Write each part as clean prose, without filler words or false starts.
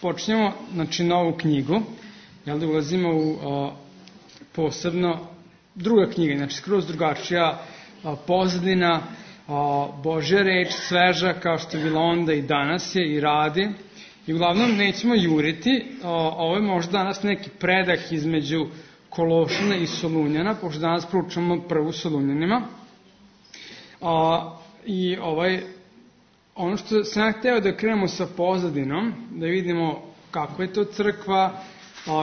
počinjemo, znači, novu knjigu, jel da ulazimo u posebno druga knjiga, znači skroz drugačija pozadina, Božja reč, sveža kao što je bila onda i danas je i radi. I uglavnom nećemo juriti, ovo je možda danas neki predah između Kološana i Solunjana, pošto danas proučamo prvu Solunjanima. I ono što sam ja hteo da krenemo sa pozadinom, da vidimo kako je to crkva,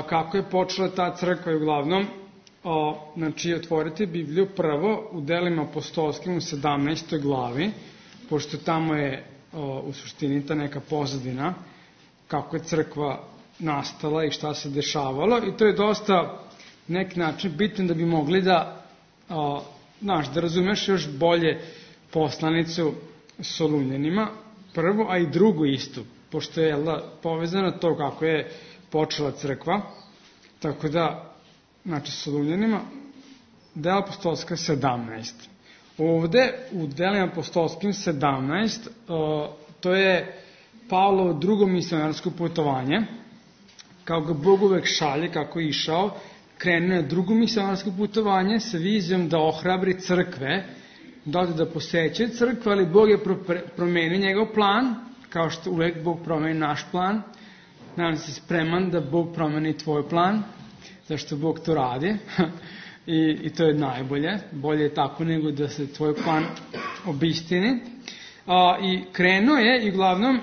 kako je počela ta crkva i uglavnom, znači otvorite Bibliju prvo u Delima apostolskim u 17. glavi, pošto tamo je u suštini ta neka pozadina, kako je crkva nastala i šta se dešavalo, i to je dosta neki način bitno da bi mogli da razumeš još bolje poslanicu Solunjanima, prvo, a i drugo isto, pošto je povezano to kako je počela crkva, tako da, znači, Solunjanima, Dela apostolska 17. Ovde, u Delima apostolskim 17, to je Pavlovo drugo misionarsko putovanje, kao ga Bog uvek šalje, kako je išao, krenuo je drugo misionarsko putovanje sa vizijom da ohrabri crkve, da ode da posećaju crkve, ali Bog je promenio njegov plan, kao što uvek Bog promeni naš plan. Nadam se spreman da Bog promeni tvoj plan, zašto Bog to radi. I to je najbolje. Bolje je tako nego da se tvoj plan obistini. I krenuo je i uglavnom,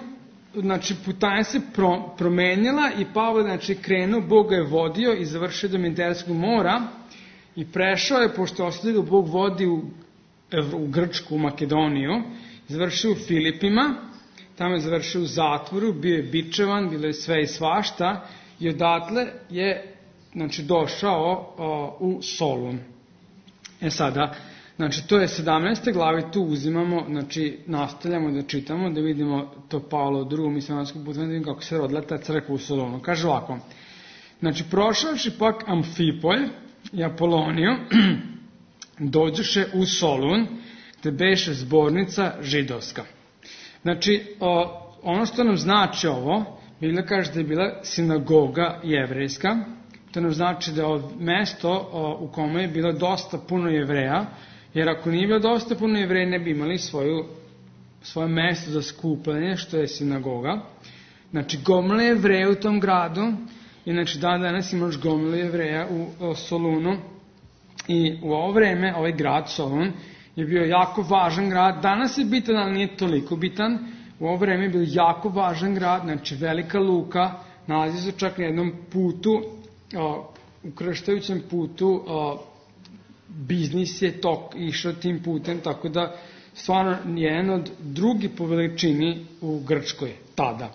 znači, putanja se promenila i Pavle, znači, krenuo, Bog ga je vodio i završio do Mediteranskog mora i prešao je, pošto ostavio ga Bog vodi u Grčku, u Makedoniju, završio u Filipima, tamo je završio u zatvoru, bio je bičevan, bilo je sve i svašta i odatle je, znači, došao u Solun. Sada, znači, to je 17. glavi, tu uzimamo, znači, nastavljamo da čitamo, da vidimo to Pavlo u drugom misionarskom putu, da vidimo kako se rodila ta crkva u Solunu. Kaže ovako, znači, prošavši pak Amfipolj i Apoloniju, dođeše u Solun, gde beše zbornica židovska. Znači, ono što nam znači ovo, Biblija kaže da je bila sinagoga jevrejska, to nam znači da je mesto u kome je bilo dosta puno Jevreja, jer ako nije bilo dosta puno Jevreja, ne bi imali svoje mesto za skupljanje, što je sinagoga. Znači, gomila Jevreja u tom gradu, i znači danas imaš gomilu Jevreja u Solunu, i u ovo vreme, ovaj grad Solun je bio jako važan grad. Danas je bitan, ali nije toliko bitan. U ovo vreme je bio jako važan grad, znači velika luka, nalazi se čak na jednom putu, ukrštajućem putu, biznis je išao tim putem, tako da stvarno je jedan od drugi po veličini u Grčkoj tada.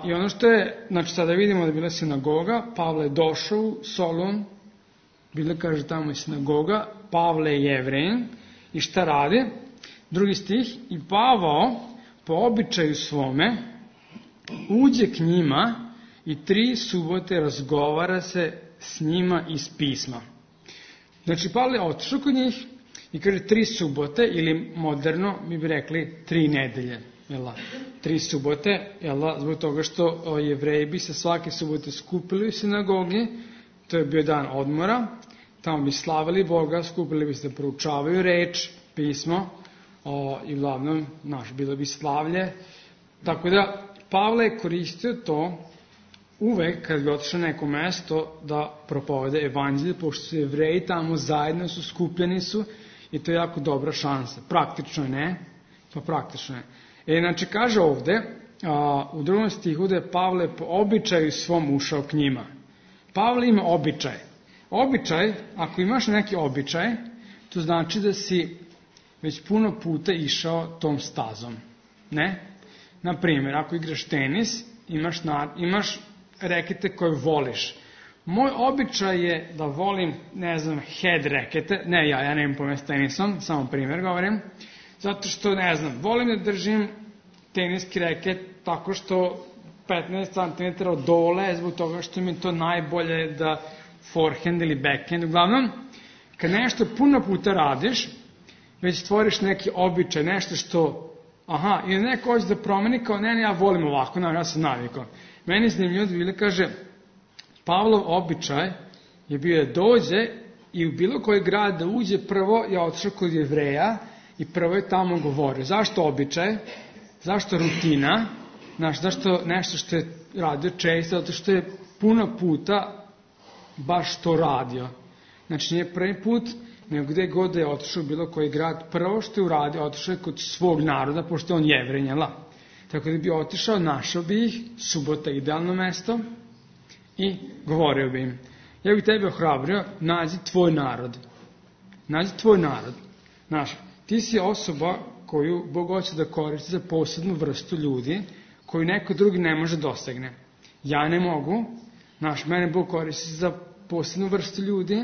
I ono što je, znači sada vidimo da je bila sinagoga, Pavle je došao u Solun, Biblija kaže tamo je sinagoga, Pavle je Jevrejin, i šta radi? Drugi stih, i Pavao po običaju svome uđe k njima i 3 subote razgovara se s njima iz pisma. Znači, Pavle je otišao kod njih i kaže 3 subote, ili moderno mi bi rekli 3 nedelje. 3 subote, zbog toga što Jevreji bi se svake subote skupili u sinagogi, to je bio dan odmora, tamo bi slavili Boga, skupili bi se da proučavaju reč, pismo, i uglavnom, bilo bi slavlje. Tako da, Pavle je koristio to uvek kad bi otišao na neko mesto da propovede evanđelje, pošto su Jevreji tamo zajedno su, skupljeni su, i to je jako dobra šansa. Praktično ne, pa praktično je. Znači, kaže ovde, u 2. stihu da je Pavle po običaju svom ušao k njima. Pavle ima običaj. Običaj, ako imaš neki običaj, to znači da si već puno puta išao tom stazom. Ne? Naprimjer, ako igraš tenis, imaš rekete koje voliš. Moj običaj je da volim, head rekete, ja nemam pojma s tenisom, samo primjer govorim, zato što, volim da držim teniski reket tako što 15 cm od dole, zbog toga što mi to najbolje da forehand ili backhand. Uglavnom, kad nešto puno puta radiš, već stvoriš neki običaj, nešto što i neko hoće da promeni kao, ne, ja volim ovako, ja sam navikao. Meni je zanimljivo da Biblia kaže, Pavlov običaj je bio da dođe i u bilo koji grad da uđe, prvo je otišao kod Jevreja i prvo je tamo govorio. Zašto običaj? Zašto rutina? Zašto nešto što je radio često? Zato što je puno puta baš to radio. Znači nije prvi put, nego gde god da je otišao u bilo koji grad, prvo što je uradio, otišao je kod svog naroda, pošto je on Jevrej, Tako da bi otišao, našao bi ih, subota idealno mesto, i govorio bi im. Ja bih tebe ohrabrio, nađi tvoj narod. Nađi tvoj narod. Ti si osoba koju Bog hoće da koristi za posebnu vrstu ljudi, koju neko drugi ne može dosegne. Ja ne mogu. Mene Bog koristi za posebnu vrstu ljudi,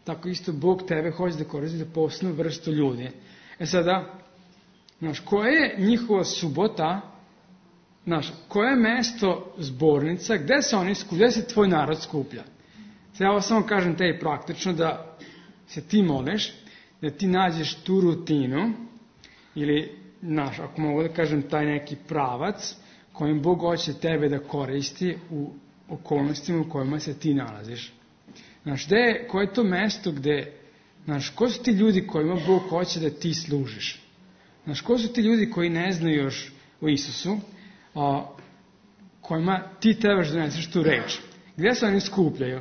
tako isto Bog tebe hoće da koristi za posebnu vrstu ljudi. Sada, koja je njihova subota, koje je mesto zbornica, gde se oni skuplja, gde se tvoj narod skuplja? Sada ja ovo samo kažem tebi praktično da se ti moliš, da ti nađeš tu rutinu, ili, ako mogu da kažem, taj neki pravac kojim Bog hoće tebe da koristi u okolnostima u kojima se ti nalaziš. Koje je to mesto gde, ko su ti ljudi kojima Bog hoće da ti služiš? Ko su ti ljudi koji ne znaju još o Isusu, kojima ti trebaš da doneseš tu reč? Gde se oni skupljaju?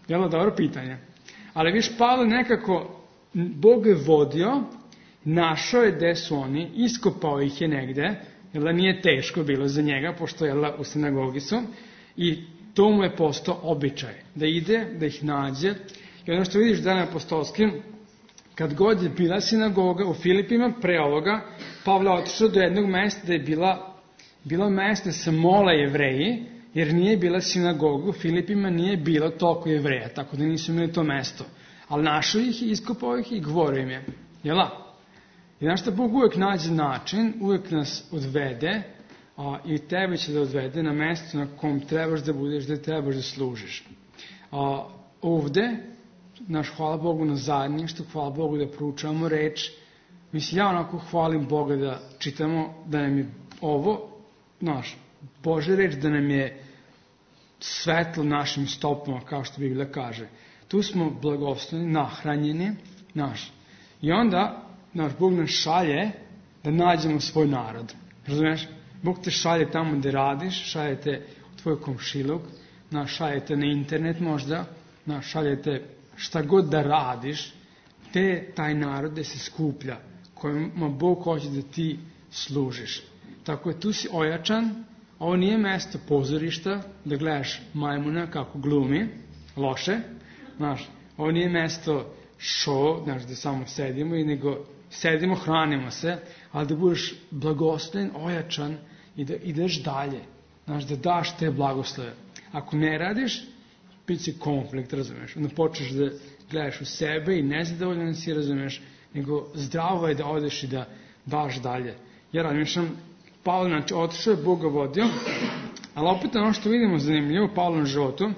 Jel' dobro pitanje? Ali viš, Pavle nekako, Bog je vodio, našao je gde su oni, iskopao ih je negde, jer nije teško bilo za njega, pošto u sinagogi su, i to mu je postao običaj, da ide, da ih nađe. I ono što vidiš Dane apostolskim, kad god je bila sinagoga u Filipima, pre ovoga, Pavle otišao do jednog mesta da je bilo mesto sa mola Jevreji, jer nije bila sinagoga u Filipima, nije bilo toliko Jevreja, tako da nisu imali to mesto. Ali našao ih i iskopao ih i govorio im je. Jela? I znaš šta, Bog uvek nađe način, uvek nas odvede, i tebe će da odvede na mesto na kom trebaš da budeš, da trebaš da služiš. Ovde, hvala Bogu na zajedništvu, hvala Bogu da proučavamo reč. Ja onako hvalim Boga da čitamo, da nam je ovo, Božja reč, da nam je svetlo našim stopama, kao što Biblija kaže. Tu smo blagosloveni, nahranjeni, i onda, Bog nas šalje da nađemo svoj narod. Razumiješ? Bog te šalje tamo gde radiš, šalje te u tvoj komšiluk, šalje te na internet možda, šalje te šta god da radiš, taj narod gde se skuplja, kojima Bog hoće da ti služiš. Tako je, tu si ojačan, ovo nije mesto pozorišta, da gledaš majmuna kako glumi, loše, ovo nije mesto show, da samo sedimo, nego sedimo, hranimo se, ali da budeš blagosloven, ojačan i da ideš dalje, da daš te blagoslove. Ako ne radiš, bit će konflikt, razumeš, onda počneš da gledaš u sebe i nezadovoljan si, razumeš, nego zdravo je da odeš i da daš dalje. Ja razmišljam, Pavle, otišao je, Bog ga vodio, ali opet ono što vidimo zanimljivo u Pavlovom životu,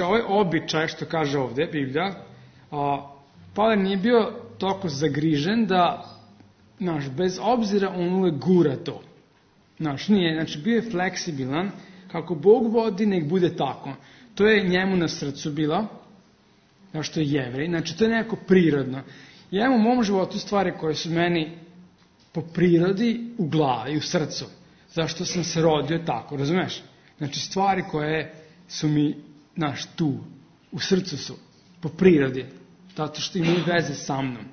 ovaj običaj što kaže ovde Biblija, Pavle nije bio toliko zagrižen da, bez obzira on uvek gura to. Nije, bio je fleksibilan, kako Bog vodi, nek bude tako. To je njemu na srcu bilo, što je Jevrej, to je neko prirodno. Ja imam u mom životu stvari koje su meni po prirodi u glavi, u srcu. Zašto sam se rodio tako, razumeš? Stvari koje su mi, tu, u srcu su, po prirodi, zato što imaju veze sa mnom.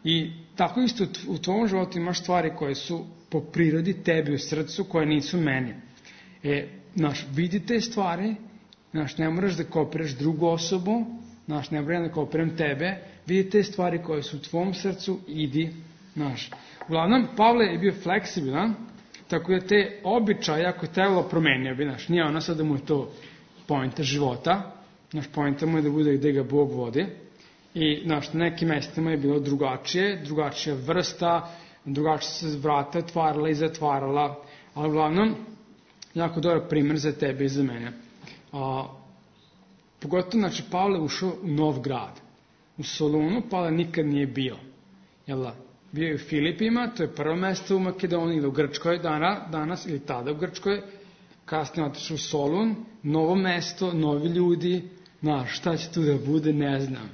I tako isto u tvojom životu imaš stvari koje su po prirodi tebi u srcu, koje nisu meni. Vidi te stvari, ne moraš da kopiraš drugu osobu, ne moram da kopiram tebe, vidi te stvari koje su u tvom srcu, idi, Uglavnom, Pavle je bio fleksibilan, tako da te običaje, ako je trebalo, promenio bi, nije ono sad da mu je to poenta života, poenta mu je da bude gde ga Bog vodi, i na nekim mestima je bilo drugačija vrsta, drugačija se vrata otvarala i zatvarala, ali uglavnom, jako dobar primer za tebe i za mene. Pogotovo, Pavle ušao u nov grad. U Solunu Pavle nikad nije bio. bio je u Filipima, to je prvo mesto u Makedoniji, ili u Grčkoj danas, ili tada u Grčkoj, kasnije otišao u Solun, novo mesto, novi ljudi, šta će tu da bude, ne znam.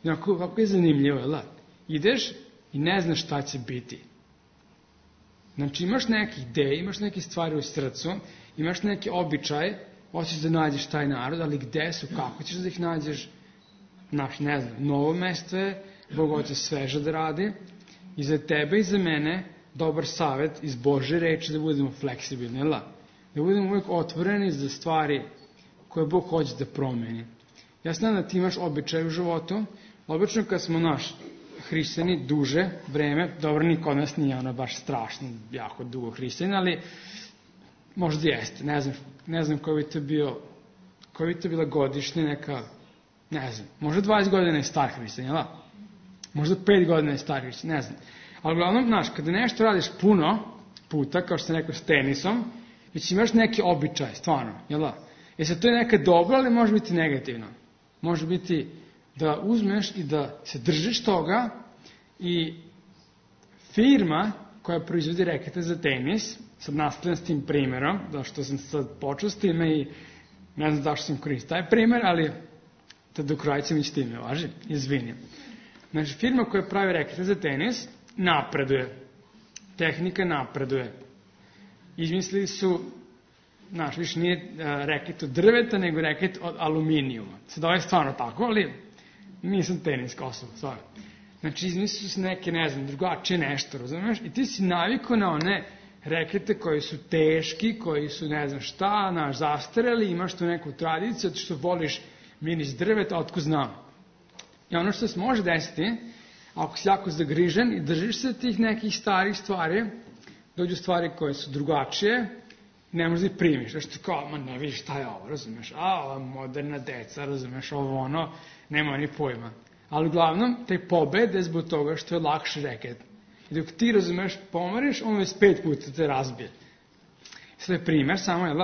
Kako je zanimljivo, jel da? Ideš i ne znaš šta će biti. Znači imaš neke ideje, imaš neke stvari u srcu, imaš neke običaje, hoćeš da nađeš taj narod, ali gde su, kako ćeš da ih nađeš, ne znam, novo mesto je, Bog hoće sveže da radi, i za tebe i za mene dobar savet iz Božje reči da budemo fleksibilni, jel da? Da budemo uvijek otvoreni za stvari koje Bog hoće da promeni. Ja znam da ti imaš običaj u životu, obično kad smo hrišćani duže vreme, dobro, niko od nas nije baš strašno, jako dugo hrišćan, ali možda jeste, ne znam koji bi to bila godišnja neka, ne znam, možda 20 godina je star hrišćan, jel da? Možda 5 godina je star hrišćan, ne znam. Ali uglavnom, kada nešto radiš puno puta, kao što sam rekao s tenisom, već imaš neki običaj, stvarno, jel da? Sad to je neka dobro, ali može biti negativno. Može biti da uzmeš i da se držiš toga i firma koja proizvodi rekete za tenis, sad nastavljam s tim primjerom, zašto sam sad počeo s time i ne znam zašto sam koristio taj primjer, ali da do kraja ćemo ići time, važi? Izvinim. Znači, firma koja pravi rekete za tenis napreduje. Tehnika napreduje. Izmislili su, više nije reket od drveta, nego reket od aluminijuma. Sad ovo je stvarno tako, ali nisam teniska osoba, stvarno. Znači, izmislili su neke, ne znam, drugačije nešto, razumiješ? I ti si navikao na one rekete koji su teški, koji su ne znam šta, zastareli, imaš tu neku tradiciju, zato što voliš miris drveta, otko znam. I ono što se može desiti, ako si jako zagrižen i držiš se tih nekih starih stvari, dođu stvari koje su drugačije, ne možeš da ih primiš. Znači ti kao, ne vidiš šta je ovo, razumeš? Ova moderna deca, razumeš, ovo nema ni pojma. Ali uglavnom, taj pobede zbog toga što je lakši reket. I dok ti, razumeš, pomariš, on već 5 puta te razbije. Sve je primer, samo je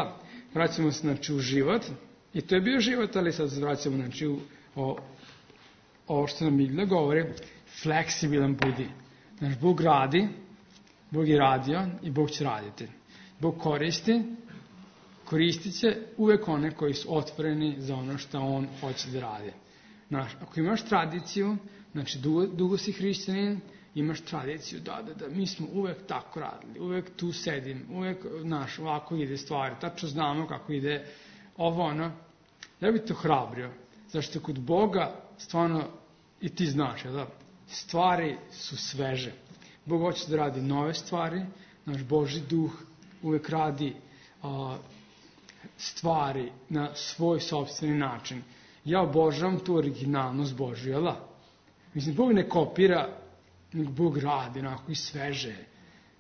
vraćamo se, u život. I to je bio život, ali sad se vraćamo, ovo što nam Biblia govori, fleksibilan budi. Znači, Bog radi, Bog je radio i Bog će raditi. Bog koristit će uvek one koji su otvoreni za ono što On hoće da radi. Znači, ako imaš tradiciju, znači dugo si hrišćanin, imaš tradiciju, da, mi smo uvek tako radili, uvek tu sedim, uvek, ovako ide stvari, tačno znamo kako ide ja bih to hrabrio, zašto kod Boga, stvarno, i ti znaš, stvari su sveže. Bog hoće da radi nove stvari, naš Božji duh uvek radi stvari na svoj sopstveni način. Ja obožavam tu originalnost Božju, jel da? Mislim, Bog ne kopira, nego Bog radi, onako i sveže.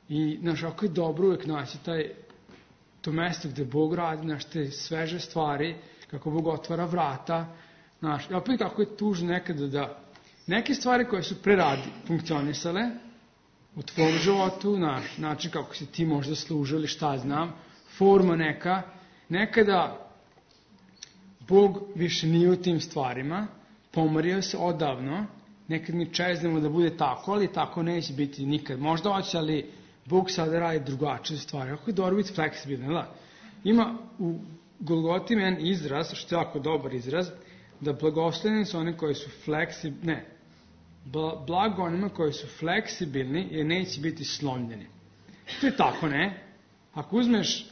I, ako je dobro uvek naći to mesto gde Bog radi, te sveže stvari, kako Bog otvara vrata, i opet kako je tužno nekada da neke stvari koje su preradi funkcionisale u tvom životu, način kako si ti možda služio ili šta znam, forma nekada Bog više nije u tim stvarima, pomario se odavno, nekad mi čeznemo da bude tako, ali tako neće biti nikad. Možda hoće, ali Bog sada radi drugačije stvari. Ako je dobro biti fleksibilan, ima u Golgoti jedan izraz, što je jako dobar izraz, da blagosloveni su oni koji su fleksibilni, blago onima koji su fleksibilni jer neće biti slomljeni. To je tako, ne? Ako uzmeš,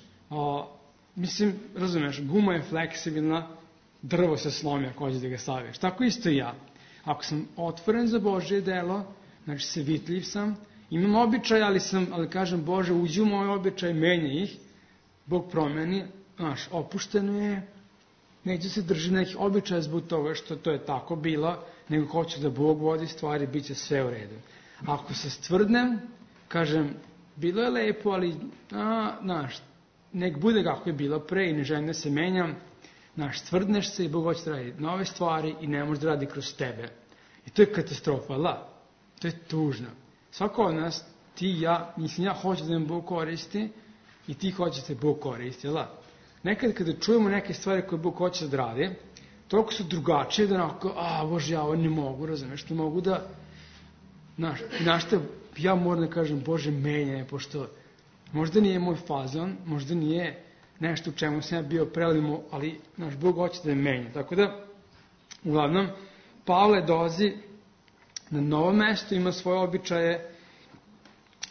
razumeš, guma je fleksibilna, drvo se slomi ako hoćeš da ga staviješ. Tako isto i ja. Ako sam otvoren za Božje delo, znači sevitljiv sam, imam običaj, ali kažem, Bože, uđi u moj običaj, menja ih, Bog promeni, opušteno je, neću se držati nekih običaja zbog toga što to je tako bilo, nego hoću da Bog vodi stvari, bit će sve u redu. Ako se stvrdnem, kažem, bilo je lepo, ali, nek bude kako je bilo pre i ne želim da se menjam, stvrdneš se i Bog hoće da radi nove stvari i ne može da radi kroz tebe. I to je katastrofa, to je tužno. Svako od nas, ti i ja, ja hoću da nam Bog koristi i ti hoćete Bog koristi, Nekad kada čujemo neke stvari koje Bog hoće da radi, toliko su drugačije da Bože, ja ovo ne mogu, razumeš, ne mogu da, ja moram da kažem, Bože, menjaj, pošto možda nije moj fazon, možda nije nešto u čemu sam ja bio prelimo, ali naš Bog hoće da je menja. Tako da, uglavnom, Pavle dolazi na novo mesto, ima svoje običaje,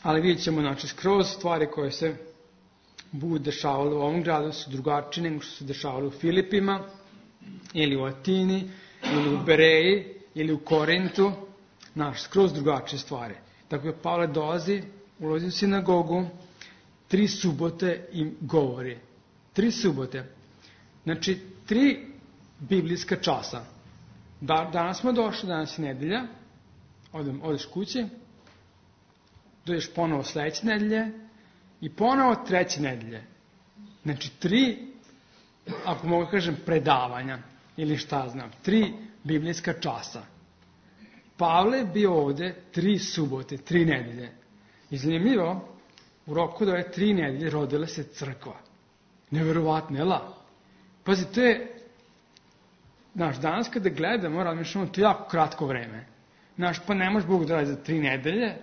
ali vidjet ćemo, znači, skroz stvari koje se budu dešavale u ovom gradu su drugačije nego što se dešavale u Filipima, ili u Atini, ili u Bereji, ili u Korintu, znaš, skroz drugačije stvari. Tako da Pavle dolazi, ulazi u sinagogu, 3 subote im govori. 3 subote. Znači, 3 biblijska časa. Danas smo došli, danas je nedelja, odeš kući, dođeš ponovo sledeće nedelje i ponovo treće nedelje. Znači, 3, ako mogu kažem, predavanja, ili šta znam, 3 biblijska časa. Pavle je bio ovde 3 subote, 3 nedelje. I zanimljivo, u roku da je 3 nedelje rodila se crkva. Neverovatno, jel? Pazi, to je, znaš, danas kada gledamo, razmišljamo, to je jako kratko vreme. Znaš, pa ne može Bog da radi za 3 nedelje.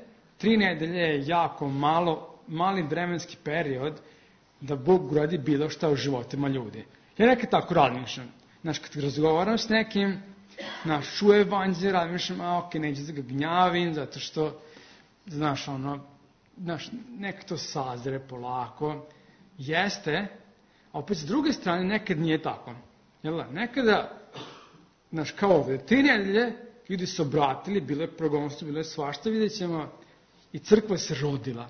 3 nedelje je jako mali vremenski period da Bog uradi bilo šta u životima ljudi. Ja nekad tako razmišljam. Znaš, kad razgovaram s nekim, znaš, čuje evanđelje, razmišljam, ok, neću da ga gnjavim, zato što, znaš, neka to sazre polako. Jeste, a opet s druge strane nekad nije tako. Jel da? Nekada, znaš, kao ovde, 3 nedelje, ljudi su obratili, bilo je progonstvo, bilo je svašta, vidjet ćemo, i crkva se rodila.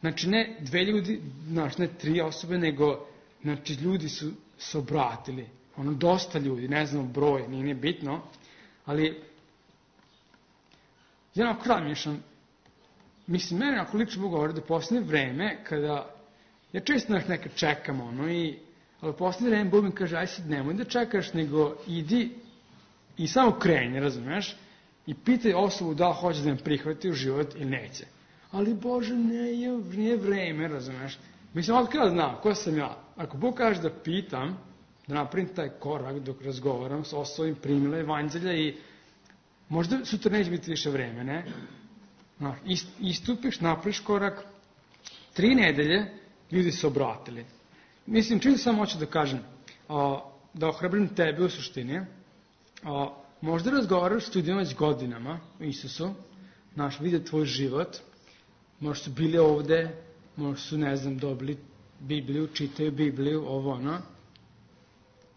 Znači, ne 2 ljudi, znaš, ne 3 osobe, nego, znači, ljudi su se obratili. Dosta ljudi, ne znam broj, nije bitno, ali ja onako razmišljam, mislim, mene ako lično mogu govoriti da posljednje vreme, kada, ja često nekad čekam, ali posljednje vreme Bog mi kaže, aj sad nemoj da čekaš, nego idi i samo kreni, razumeš, i pitaj osobu da li hoće da me prihvati u život ili neće. Ali Bože, nije vreme, razumeš. Mislim, od kada znam, ko sam ja? Ako Bog kaže da pitam, da napravim taj korak dok razgovaram s osobom, primila evanđelja i možda sutra neće biti više vreme, ne? Istupiš, napraviš korak, 3 nedelje, ljudi se obratili. Mislim, čim sam hoću da kažem, da ohrabrim tebe u suštini, možda razgovaraš s ljudima već godinama o Isusu, vide tvoj život, možda su bili ovde, možda su, ne znam, dobili Bibliju, čitaju Bibliju,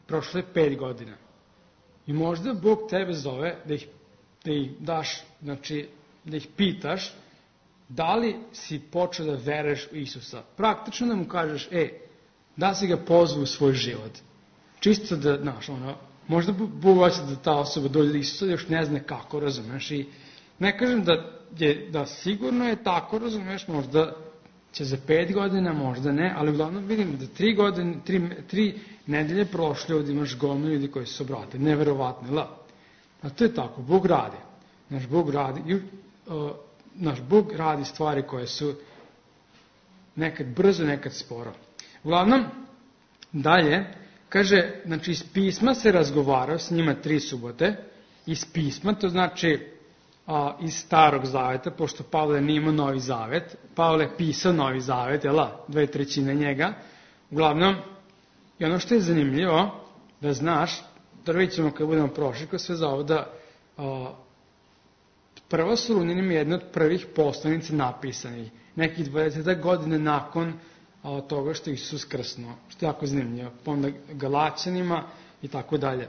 prošlo je 5 godina. I možda Bog tebe zove da ih daš, znači, da ih pitaš da li si počeo da veruješ u Isusa. Praktično da mu kažeš, da si ga pozvao u svoj život. Čisto da, znaš, možda Bog hoće da ta osoba dođe do Isusa, još ne zna kako, razumeš, i ne kažem da sigurno je tako, razumeš, možda će za 5 godina, možda ne, ali uglavnom vidim da 3 nedelje prošle ovdje imaš gomilu ljudi koji su obratili. Neverovatno, a to je tako, Bog radi. Naš Bog radi stvari koje su nekad brzo, nekad sporo. Uglavnom, dalje, kaže, znači iz pisma se razgovarao s njima 3 subote, iz pisma, to znači iz Starog zaveta, pošto Pavle nije imao Novi zavet, Pavle je pisao Novi zavet, 2/3 njega, uglavnom, i ono što je zanimljivo, da znaš, da vidjet ćemo kad budemo prošli kroz sve za ovo, da prvo Solunjanima je jedna od prvih poslanici napisanih, nekih 20 godine nakon toga što je Isus krsnuo, što je jako zanimljivo, pa onda Galaćanima i tako dalje.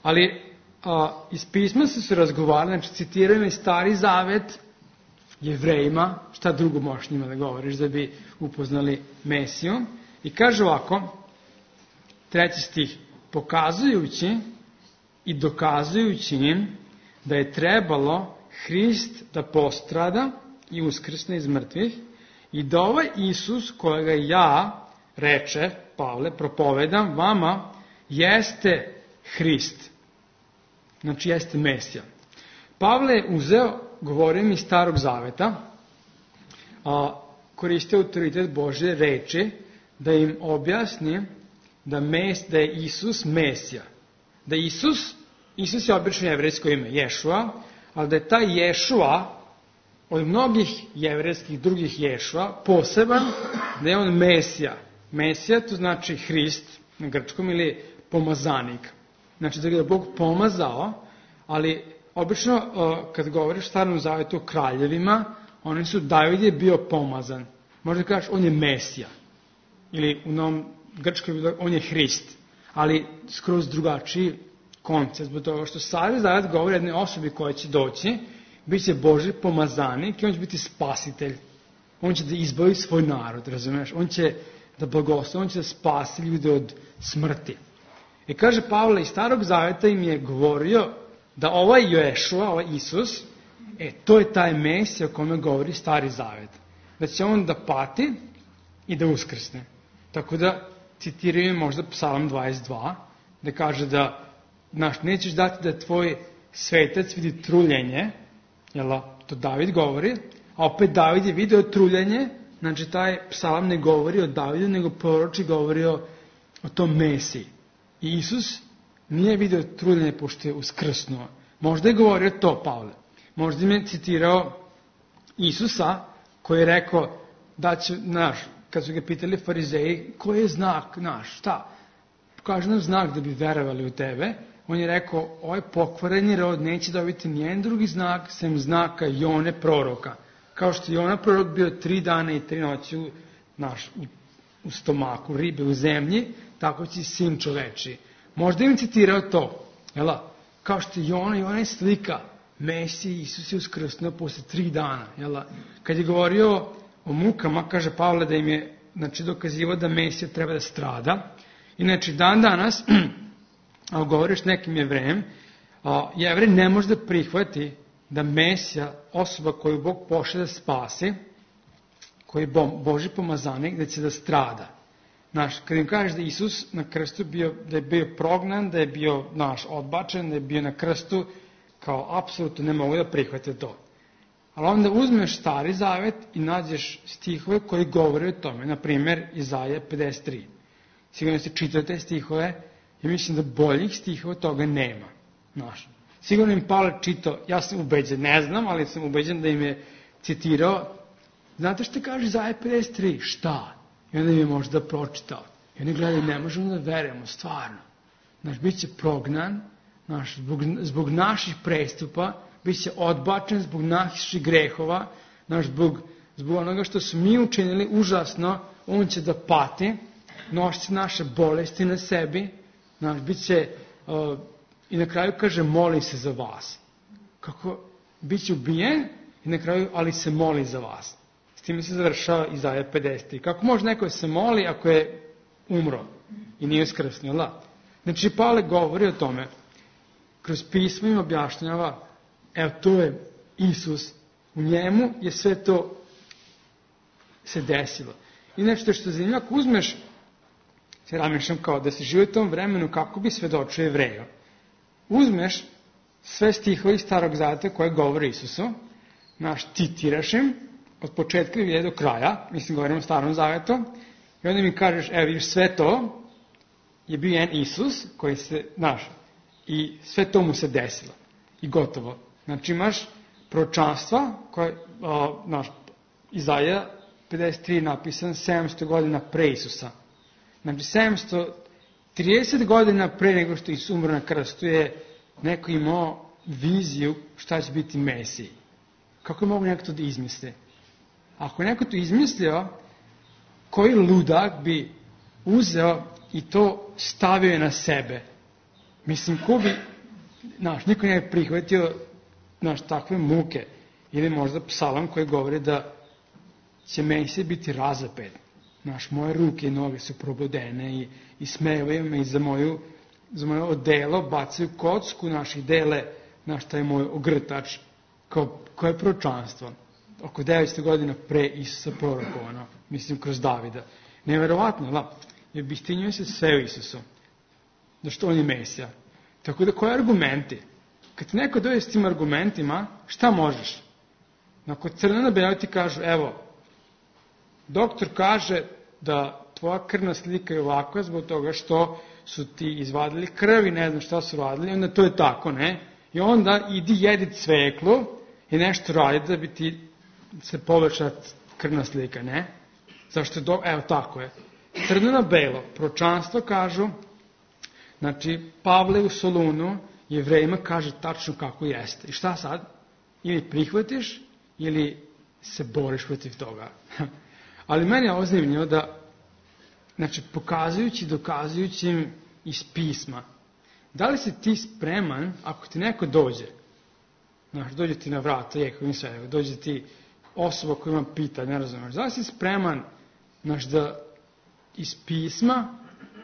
Ali iz pisma su se razgovarali, znači citiraju i Stari zavet Jevrejima, šta drugo možeš njima da govoriš da bi upoznali Mesiju, i kaže ovako, 3. stih, pokazujući i dokazujući im da je trebalo Hrist da postrada i uskrsne iz mrtvih i da ovaj Isus kojega ja, reče Pavle, propovedam vama, jeste Hrist. Znači jeste Mesija. Pavle je uzeo, govorim iz Starog zaveta, koristio autoritet Božje reči da im objasni da je Isus Mesija. Da Isus je obično jevrejsko ime, Ješua, ali da je taj Ješua od mnogih jevrejskih drugih Ješua poseban da je on Mesija. Mesija to znači Hrist na grčkom ili pomazanik. Znači da ga je Bog pomazao, ali obično kad govoriš u Starom Zavetu o kraljevima, oni su David je bio pomazan. Možda kažeš on je Mesija. Ili u novom grčkom on je Hrist. Ali skroz drugačiji koncept. Zbog toga što Stari Zavet govori o jednoj osobi koja će doći, bit će Božji pomazanik i on će biti spasitelj. On će da izbavi svoj narod, razumiješ? On će da blagoslovi, on će da spasi ljude od smrti. I kaže Pavle, iz Starog Zaveta im je govorio da ovaj Ješua, ovaj Isus, to je taj Mesija o kome govori Stari Zavet. Da će on da pati i da uskrsne. Tako da citiraju možda Psalam 22, da kaže da nećeš dati da tvoj svetac vidi truljenje, to David govori, a opet David je video truljenje, znači taj psalam ne govori o Davidu, nego proroči govori o tom Mesiji. I Isus nije video truljenje pošto je uskrsnuo. Možda je govorio to Pavle. Možda im je citirao Isusa koji je rekao da će, kad su ga pitali farizeji, koji je znak naš, šta? Kaže nam znak da bi verovali u tebe. On je rekao, ovaj pokvareni rod neće dobiti nijedan drugi znak, sem znaka Jone proroka. Kao što je Jona prorok bio 3 dana i 3 noći u stomaku ribe u zemlji, tako će sin čoveči. Možda im citirao to, kao što je Jona je slika Mesije, Isus je uskrsnuo posle 3 dana. Kad je govorio o mukama, kaže Pavle da im je dokazivao da Mesija treba da strada. Inače, dan danas, ako govoriš nekim Jevrejem, Jevrej ne može da prihvati da Mesija, osoba koju Bog pošle da spasi, koji je Božji pomazanik, da će da strada. Kad im kažeš da Isus na krstu da je bio prognan, da je bio odbačen, da je bio na krstu, kao apsolutno ne mogu da prihvate to. Ali onda uzmeš Stari Zavet i nađeš stihove koji govore o tome. Naprimer, Izaja 53. Sigurno ste čitate stihove i mislim da boljih stihova toga nema. Sigurno im Pavle čitao, ja sam ubeđen, ne znam, ali sam ubeđen da im je citirao. Znate što kaže Izaja 53? Šta? I onda im je možda pročitao. I oni gledaju, ne možemo da verujemo, stvarno. Bit će prognan, zbog naših prestupa, bit će odbačen zbog naših grehova, zbog onoga što su mi učinili užasno, on će da pati, nosit naše bolesti na sebi, bit će, i na kraju kaže, moli se za vas. Bit će ubijen i na kraju, ali se moli za vas. S time se završava Izaja 53. Kako može neko se moli ako je umro i nije uskrsnio? Znači, Pavle govori o tome, kroz pismo im objašnjava, to je Isus, u njemu je sve to se desilo. I nešto što je zanimljivo, ako uzmeš, se razmišljam kao da se živi u tom vremenu, kako bi svedočio Jevreju. Uzmeš sve stihove iz Starog Zaveta koje govore Isusu, citiraš im, od početka i do kraja, mislim govorimo o Starom Zavetu, i onda mi kažeš, vidiš, sve to je bio jedan Isus koji se, i sve to mu se desilo. I gotovo. Znači imaš proročanstva koje, Izaja 53 napisan 700 godina pre Isusa. Znači 730 godina pre nego što Isus umro na krstu je neko imao viziju šta će biti Mesiji. Kako je mogu neko to da izmisli? Ako je neko to izmislio, koji ludak bi uzeo i to stavio na sebe? Mislim, ko bi, niko ne bi prihvatio takve muke. Ili možda psalam koji govori da će Mesija biti razapet. Moje ruke i noge su probodene i smevaju me i za moje odelo bacaju kocku, dele, taj moj ogrtač, koje proročanstvo. Oko 900 godina pre Isusa prorokovano, mislim kroz Davida. Neverovatno, jer bistinjuje se sve u Isusu. Zašto on je Mesija. Tako da, koji argumenti? Kad ti neko dođe s tim argumentima, šta možeš? Kod crno na belo ti kažu, doktor kaže da tvoja krvna slika je ovakva zbog toga što su ti izvadili krv i ne znam šta su radili, onda to je tako, ne? I onda idi jedi cveklu i nešto radi da bi ti se poveća krvna slika, ne? Zašto je evo tako je. Crno na belo, proročanstvo kažu, znači Pavle u Solunu Jevrejima kaže tačno kako jeste. I šta sad? Ili prihvatiš, ili se boriš protiv toga. Ali meni je ovo zanimljivo da, znači, pokazujući, dokazujući im iz pisma, da li si ti spreman, ako ti neko dođe, znači, dođe ti na vrata, dođe ti osoba koja ima pitanje, ne razumeš, da li si spreman, znači, da iz pisma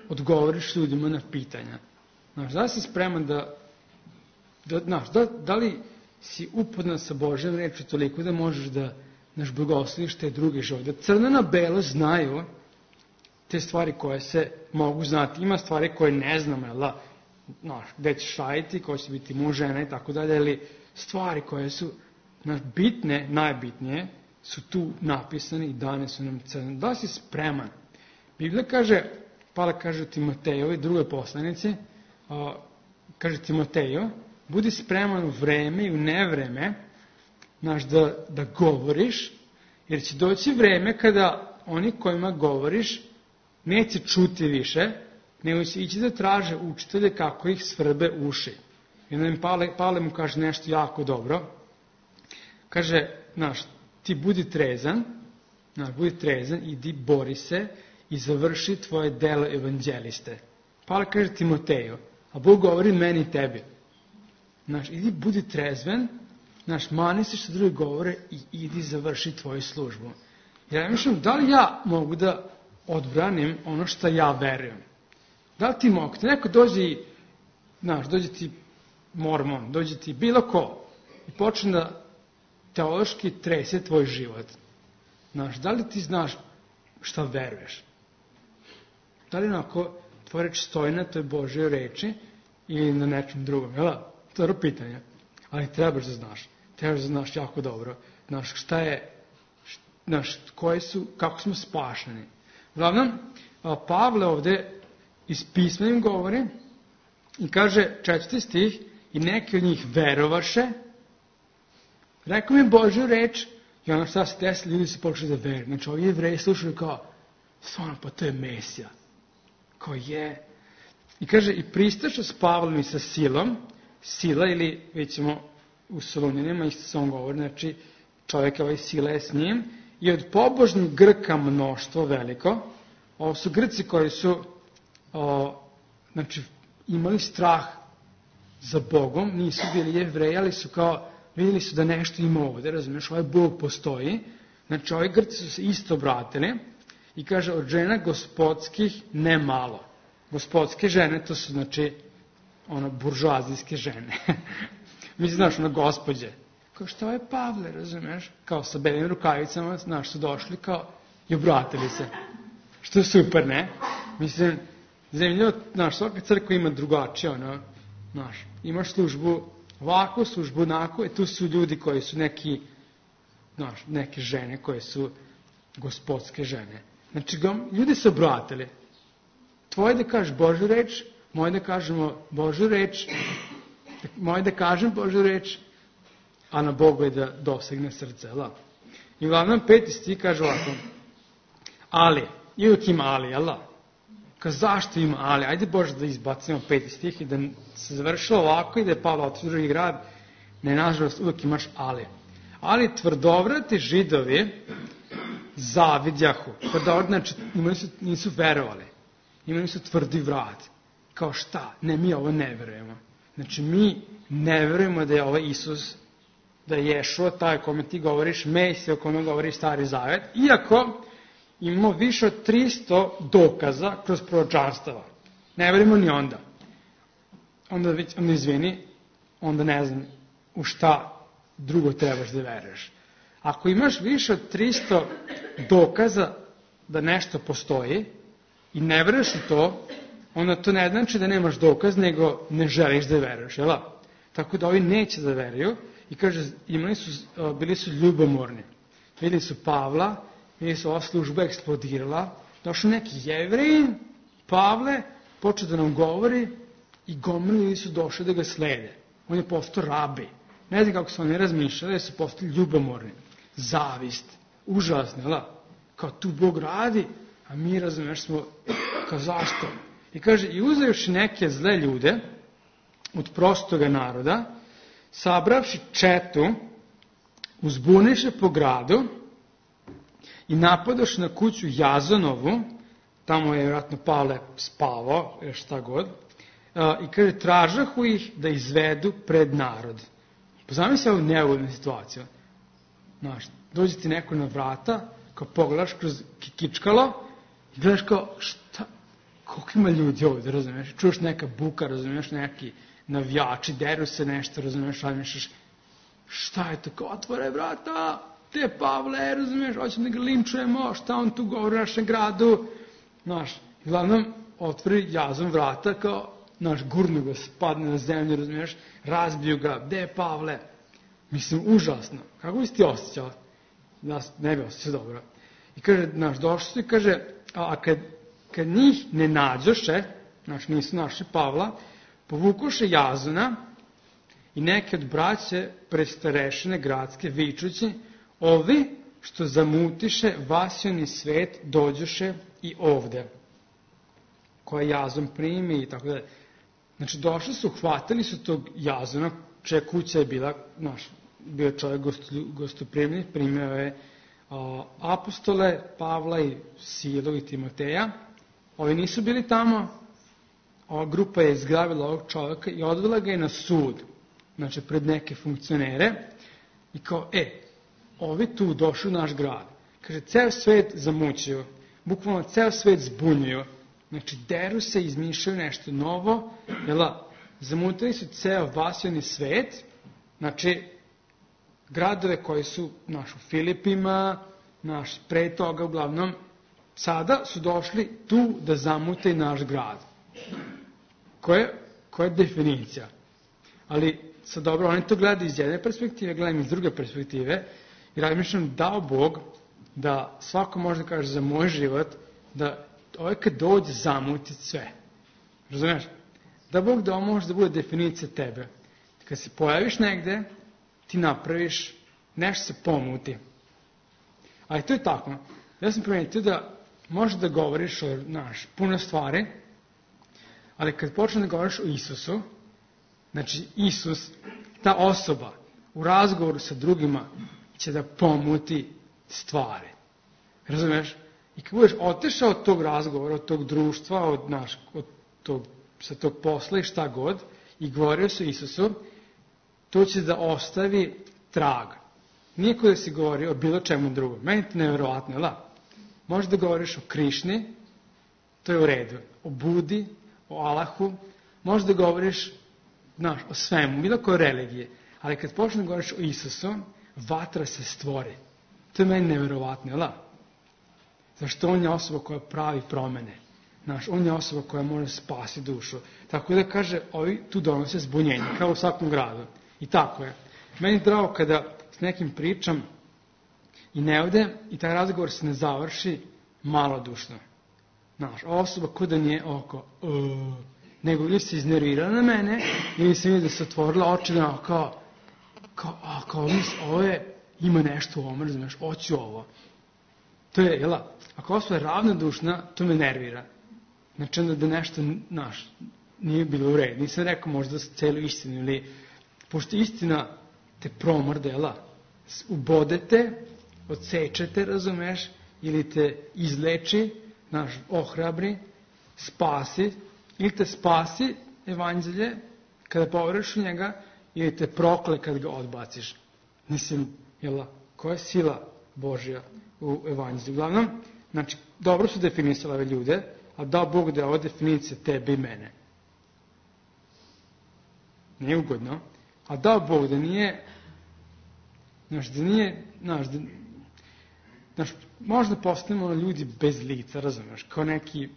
odgovoriš ljudima na pitanja? Znači, da li si spreman da li si upoznat sa Božjom reči toliko da možeš da blagosloviš te druge živote? Da crno na belo znaju te stvari koje se mogu znati. Ima stvari koje ne znamo, gde ćeš raditi, ko će biti muž, žena i tako dalje, ali stvari koje su bitne, najbitnije, su tu napisane i dane su nam crno. Da li si spreman? Biblija kaže, Pavle kaže u Timotejovoj, drugoj poslanici, kaže Timoteju, budi spreman u vreme i u nevreme, da govoriš, jer će doći vreme kada oni kojima govoriš neće čuti više, nego će ići da traže učitelje kako ih svrbe uši. I onda im Pavle mu kaže nešto jako dobro. Kaže, ti budi trezan, idi bori se i završi tvoje delo evanđeliste. Pavle kaže Timoteju, a Bog govori meni i tebi. Idi budi trezven, mani se što drugi govore i idi završi tvoju službu. Jer ja mislim, da li ja mogu da odbranim ono što ja verujem? Da li ti mogu? Te neko dođe ti mormon, dođe ti bilo ko i počne da teološki trese tvoj život. Da li ti znaš šta veruješ? Da li onako tvoja reč stoji na toj Božjoj reči ili na nečem drugom? To je pitanje. Ali trebaš da znaš. Trebaš da znaš jako dobro. Šta je, kako smo spašeni. Uglavnom, Pavle ovde iz pisma im govori i kaže 4. stih, i neki od njih verovaše, rekao mi Božju reč, i ono šta se desilo, ljudi su počeli da veruju. Znači, ovi Jevreji slušali kao, stvarno, pa to je Mesija. Kao je. I kaže, i pristaše s Pavlom i sa Silom, Sila ili, vidimo, u Solunjanima, isto se on govori, znači, čovjek Sila je s njim, i od pobožnih Grka mnoštvo veliko. Ovo su Grci koji su imali strah za Bogom, nisu bili Jevreji, ali su kao, vidjeli su da nešto ima ovde, razumiješ, ovaj Bog postoji. Znači, ovi Grci su se isto obratili i kaže, od žena gospodskih ne malo. Gospodske žene, to su, znači, buržoazijske žene. Mislim, znaš, gospođe. Kao šta je Pavle, razumiješ? Kao sa belim rukavicama, znaš, su došli kao i obratili se. Što je super, ne? Mislim, zanimljivo, znaš, svaka crkva ima drugačije, znaš, imaš službu ovako, službu onako, tu su ljudi koji su neke žene koje su gospodske žene. Znači, ljudi se obratili. Tvoje da kažeš Božju reč, moje da kažemo Božju reč, moje da kažem Božju reč, a na Bogu je da dosegne srce. I uglavnom 5. stih kaže ovako, ali, i uvijek ima ali, zašto ima ali? Ajde Bože da izbacimo 5. stih i da se završilo ovako i da je Pavle otišao u drugi grad. Ne, nažalost, uvijek imaš ali. Ali tvrdovrati Židovi zavidjahu. Znači, nisu verovali. Imali su tvrdi vrat. Kao šta? Ne, mi ovo ne verujemo. Znači, mi ne verujemo da je ovaj Isus, da je Ješua, taj o kome ti govoriš, Mesija o kome govoriš Stari Zavet, iako imamo više od 300 dokaza kroz proročanstava. Ne verujemo ni onda. Onda izvini, onda ne znam u šta drugo trebaš da veruješ. Ako imaš više od 300 dokaza da nešto postoji i ne veruješ u to, onda to ne znači da nemaš dokaz, nego ne želiš da veruješ, jel? Tako da ovi neće da veruju i kaže, bili su ljubomorni. Vidjeli su Pavla, vidjeli su ova služba eksplodirala, došli neki Jevreji, Pavle, počeo da nam govori i gomili su došli da ga slede. On je postao rabi. Ne znam kako su oni razmišljali, su postali ljubomorni. zavist, užasno, da? Kao tu Bog radi, a mi, razumeš, smo, kao zašto? I kaže, i uzevši neke zle ljude od prostoga naroda, sabravši četu, uzbuniše po gradu i napadoše na kuću Jazonovu, tamo je vjerojatno Pavle spavao, ili šta god, i kaže, tražahu ih da izvedu pred narod. Pozami se ovu neugodnu situaciju. Znaš, dođe ti neko na vrata, kao pogledaš kroz kikičkalo i gledaš kao, šta, koliko ima ljudi ovdje, razumiješ? Čuješ neka buka, razumiješ, neki navijači, deru se nešto, razumiješ, razmišljaš, šta je to, kao otvore vrata, te Pavle, razumiješ, hoćemo da ga linčujemo, šta on tu govori u našem gradu, znaš, uglavnom, otvori Jazon vrata, kao, znaš, gurnu ga, spadne na zemlju, razumiješ, razbiju ga, gde je Pavle? Mislim, užasno. Kako bi si ti osjećao? Ne bi osjećao dobro. I kaže, znaš, došli su i kaže, a kad njih ne nađoše, znaš, nisu našli Pavla, povukoše Jazona i neke od braće pred starešine gradske vičući, ovi što zamutiše vasioni svet dođoše i ovde, koja Jazon primi i tako da. Znači, došli su, hvatili su tog Jazona, čija kuća je bila, znaš, bio čovjek gostoprimljiv, primio je apostole, Pavla i Silu i Timoteja. Ovi nisu bili tamo, ova grupa je izgravila ovog čovjeka i odvela ga je na sud, znači pred neke funkcionere i kao, ovi tu došli u naš grad. Kaže, ceo svet zamućio, bukvalno ceo svet zbunjuju, znači deru se, izmišljaju nešto novo, zamutili su ceo vasioni svet, znači gradove koji su u Filipima, pre toga uglavnom, sada su došli tu da zamute naš grad. Koja je definicija? Ali, sad dobro, oni to gledaju iz jedne perspektive, gledam iz druge perspektive, i razmišljam, dao Bog da svako može da kaže za moj život, da ovaj kad dođe zamuti sve. Razumiješ? Da Bog da ovo može da bude definicija tebe. Kad se pojaviš negde, ti napraviš, nešto se pomuti. Ali to je tako. Ja sam primetio da možeš da govoriš o puno stvari, ali kad počne da govoriš o Isusu, znači Isus, ta osoba, u razgovoru sa drugima će da pomuti stvari. Razumiješ? I kad budeš otešao od tog razgovora, od tog društva, sa tog posla i šta god, i govorio sa Isusom, to će da ostavi trag. Nije ko da si govorio o bilo čemu drugom. Meni je to nevjerovatno, da? Možeš da govoriš o Krišni, to je u redu. O Budi, o Alahu, možeš da govoriš, o svemu, bilo koje religije. Ali kad počne da govoriš o Isusu, vatra se stvori. To je meni nevjerovatno, da? Zašto on je osoba koja pravi promene. On je osoba koja može spasi dušu. Tako da kaže, ovi tu donose zbunjenje, kao u svakom gradu. I tako je. Meni je drago kada s nekim pričam i ne odem i taj razgovor se ne završi malodušno. Osoba ko da nije oko, nego ili se iznervirala na mene, ili se vidi da se otvorila oči kao ovo je, ima nešto u ovom, razumiješ, hoću ovo. To je, ako osoba je ravnodušna, to me nervira. Znači onda da nešto, nije bilo u redu. Nisam rekao možda celu istinu, ili, pošto istina te promrde, ubodete, odsečete, razumeš, ili te izleči, ohrabri, spasi, ili te spasi evanđelje kada poveruješ u njega, ili te prokle kad ga odbaciš. Mislim, koja je sila Božja u evanđelju? Uglavnom, znači, dobro su definisali ove ljude, a dao Bog da je ova definicija tebe i mene. Nije ugodno. A dao Bog da nije, možda postanemo ljudi bez lica, razumiješ, kao neki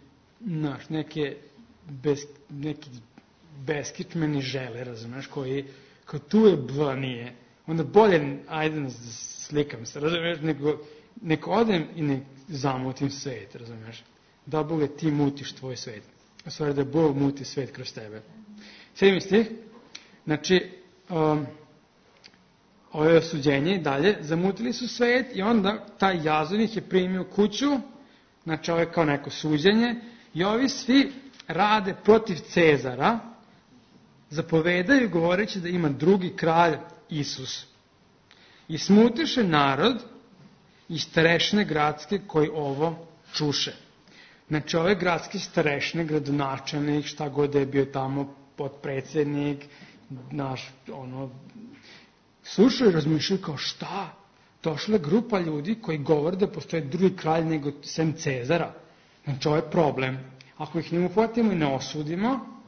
beskičmeni žele, razumiješ, koji, kao tu je B, nije. Onda bolje, ajde, slikam se, razumiješ, nego odem i ne zamutim svet, razumiješ. Da Bog je ti mutiš tvoj svet. U stvari da Bog muti svet kroz tebe. 7. stih. Znači, ovo je osuđenje i dalje, zamutili su svet i onda taj Jazon ih je primio kuću, znači ovo je kao neko suđenje, i ovi svi rade protiv Cezara, zapovedaju govoreći da ima drugi kralj Isus. I smutiše narod i starešine gradske koji ovo čuše. Znači ove gradske starešine, gradonačelnik, šta god je bio tamo, potpredsjednik, naš, slušaju i razmišljaju kao šta? Došla je grupa ljudi koji govore da postoje drugi kralj nego sem Cezara. Znači ovo je problem. Ako ih ne uhvatimo i ne osudimo,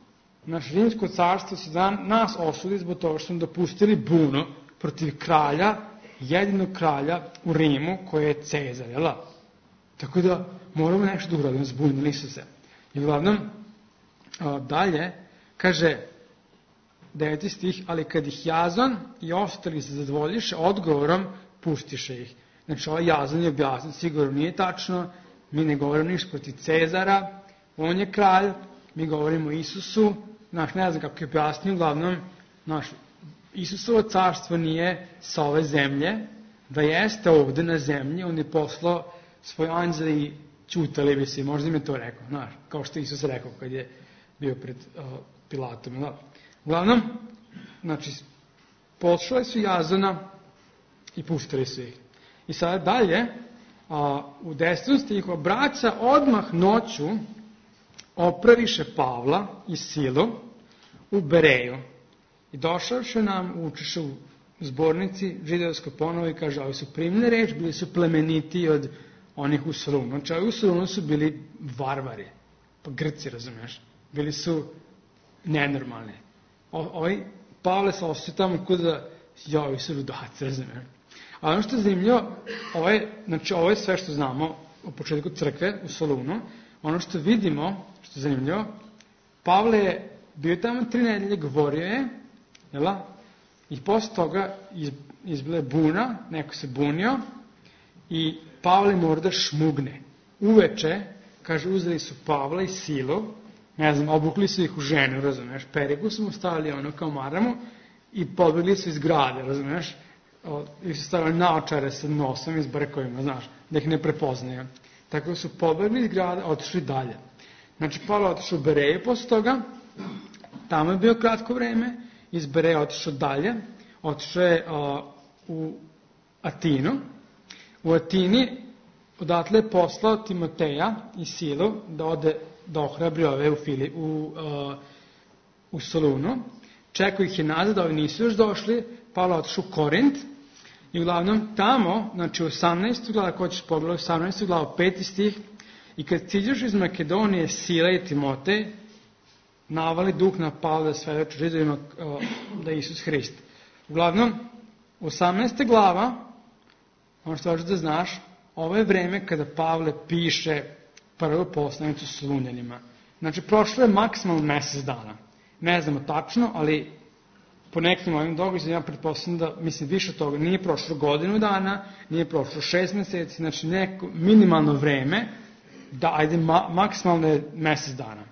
naš rimsko carstvo se nas osudi zbog toga što smo dopustili bunu protiv kralja, jedinog kralja u Rimu koji je Cezar, jel? Tako da moramo nešto da uradimo, zbunili su se. I uglavnom, dalje, kaže 9. stih, ali kad ih Jazon i ostali se zadovoljiše odgovorom, pustiše ih. Znači ovaj Jazon je objasnio, sigurno nije tačno, mi ne govorimo ništa protiv Cezara, on je kralj, mi govorimo o Isusu, ne znam kako je objasnio, uglavnom, Isusovo carstvo nije sa ove zemlje, da jeste ovde na zemlji, on je poslao svoj anđel i ćutali bi se, možda im je to rekao, kao što Isus rekao kad je bio pred Pilatom. Uglavnom, znači, poslali su Jazona i pustili su ih. I sada dalje, u 10. stihu, braća odmah noću opraviše Pavla i Silu u Bereju. I došavše nam, učiše u zbornici židovskoj ponovo i kaže, ovi su primili reč, bili su plemeniti od onih u Solunu. Znači, ovi u Solunu su bili varvari, pa Grci, razumiješ, bili su nenormalni. Ovi Pavle se osjeća tamo kod da, ovi su ludaci, razumiješ. A ono što je zanimljivo, ovo je sve što znamo u početku crkve u Solunu. Ono što vidimo, što je zanimljivo, Pavle je bio tamo 3 nedelje, govorio je, i posle toga izbila je buna, neko se bunio i Pavle mora da šmugne. Uveče, kaže, uzeli su Pavla i Silu, obukli su ih u ženu, razumeš, periku su mu stavili kao maramu i pobegli su iz grade, razumeš, i su stavili naočare sa nosom i s brkovima, znaš, da ih ne prepoznaju. Tako da su pobegli iz grada, otišli dalje. Znači, Pavle otišao u Bereju posle toga, tamo je bio kratko vreme, iz Bereja otišao dalje, otišao je u Atinu. U Atini odatle je poslao Timoteja i Silu da ode da ohrabri ove u Solunu. Čekao ih je nazad, ovi nisu još došli, Pavle otišao u Korint i uglavnom tamo, znači u 18. glava, ko ćeš pogledati, 18. glava, 5. stih, i kad stiđeš iz Makedonije Sila i Timotej, navali duh na Pavla da svedoči Židovima da je Isus Hrist. Uglavnom, 18. glava, ono što hoćeš da znaš, ovo je vreme kada Pavle piše prvu poslanicu Solunjanima. Znači, prošlo je maksimalno mesec dana. Ne znamo tačno, ali po nekim ovim događajima ja pretpostavljam da, više od toga, nije prošlo godinu dana, nije prošlo 6 meseci, znači neko minimalno vreme, da ajde maksimalno je mesec dana.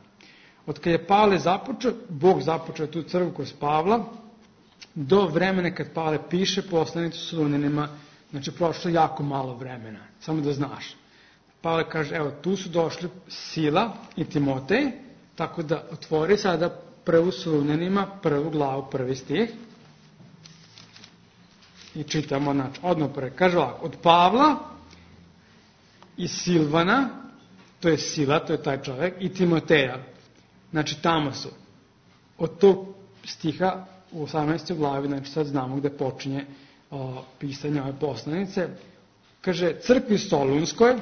Od kada je Pavle započeo, Bog započeo tu crkvu kroz Pavla, do vremena kad Pavle piše poslanicu Solunjanima, znači prošlo jako malo vremena, samo da znaš. Pavle kaže, evo, tu su došli Sila i Timotej, tako da otvori sada prvu Solunjanima, 1. glavu, 1. stih. I čitamo, znači, odmah prvi. Kaže ovako, od Pavla i Silvana, to je Sila, to je taj čovjek, i Timoteja. Znači, tamo su. Od tog stiha u 18. glavi, znači sad znamo gde počinje pisanje ove poslanice. Kaže, crkvi Solunskoj,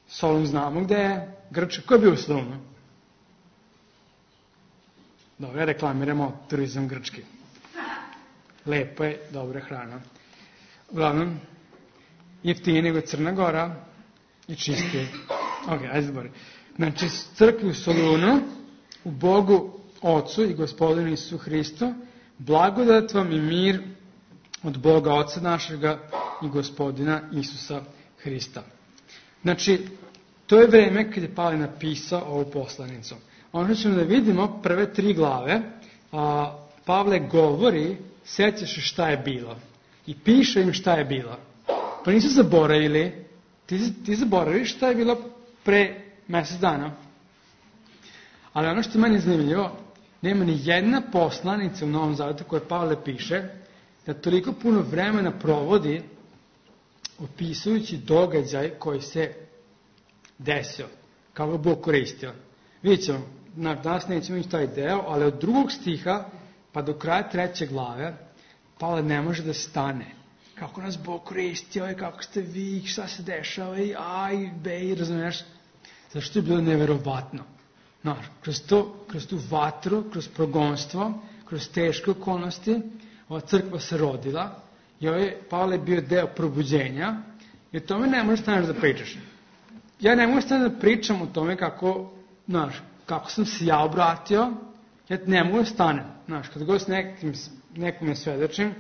Solun znamo gde je, Grčka, ko je bio u Solunu? Dobro, reklamiramo turizam grčki. Lepo je, dobra hrana. Uglavnom, jeftinije nego Crna Gora i čistije. Ok, ajde zbori. Znači, crkvi u Solunu, u Bogu Ocu i Gospodinu Isusu Hristu, blagodat vam i mir od Boga Oca našega i Gospodina Isusa Hrista. Znači, to je vreme kad je Pavle napisao ovu poslanicu. Ono ćemo da vidimo prve 3 glave, Pavle govori, sjećaš šta je bilo. i piše im šta je bilo. Pa nisu zaboravili, ti zaboraviš šta je bilo pre mjesec dana. Ali ono što je meni zanimljivo, nema ni jedna poslanica u Novom Zavetu koja Pavle piše, da toliko puno vremena provodi opisujući događaj koji se desio, kako ga Bog koristio. Vidjet ćemo, danas nećemo ići taj deo, ali od 2. stiha pa do kraja 3. glave Pavle ne može da stane. Kako nas Bog koristio i kako ste vi, šta se dešava i aj, bej, razumiješ? Zašto je bilo neverovatno? Kroz tu vatru, kroz progonstvo, kroz teške okolnosti, ova crkva se rodila i Pavle je bio deo probuđenja i o tome ne možeš staneš da pričaš. Ja ne mogu staneš da pričam o tome kako sam se ja obratio, ja ne mogu da stanem. Kad god s nekom svedočim,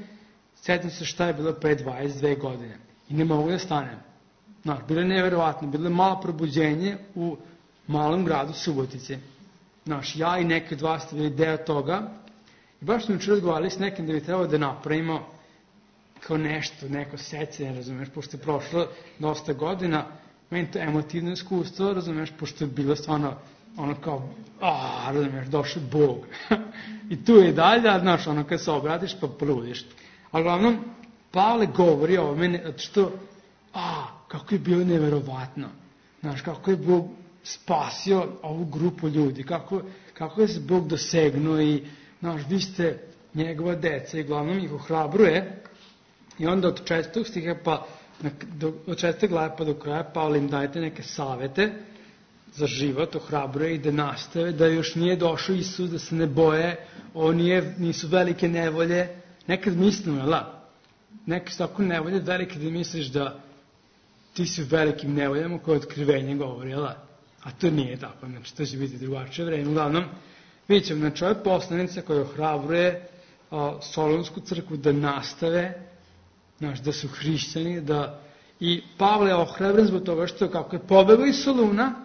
sjetim se šta je bilo pre 22 godine i ne mogu da stanem. Bilo je neverovatno, bilo je malo probuđenje u malom gradu Subotici. Ja i neki od vas ste bili deo toga i baš smo učer razgovarali s nekim da bi trebalo da napravimo kao nešto, neko sećanje, razumeš, pošto je prošlo dosta godina, meni to emotivno iskustvo, razumeš, pošto je bilo stvarno ono kao, razumeš, došao Bog. I tu je i dalje, kad se obratiš pa poludiš. A uglavnom, Pavle govori o meni, što, kako je bilo neverovatno. Kako je Bog spasio ovu grupu ljudi, kako je se Bog dosegnuo i, vi ste njegova deca i uglavnom ih ohrabruje. I onda od 4. stiha od 4. glave pa do kraja Pavle im dajete neke savete za život, ohrabruje i da nastave, da još nije došao Isus, da se ne boje, nisu velike nevolje. Nekad mislimo, neke su tako nevolje velike da misliš da ti si u velikim nevoljama koje otkrivenje govori, a to nije tako, to će biti drugačije vreme. Uglavnom, vidjet ćemo, ovo je poslanica koja ohrabruje Solunsku crkvu da nastave, da su hrišćani, i Pavle je ohrabren zbog toga što kako je pobegao iz Soluna,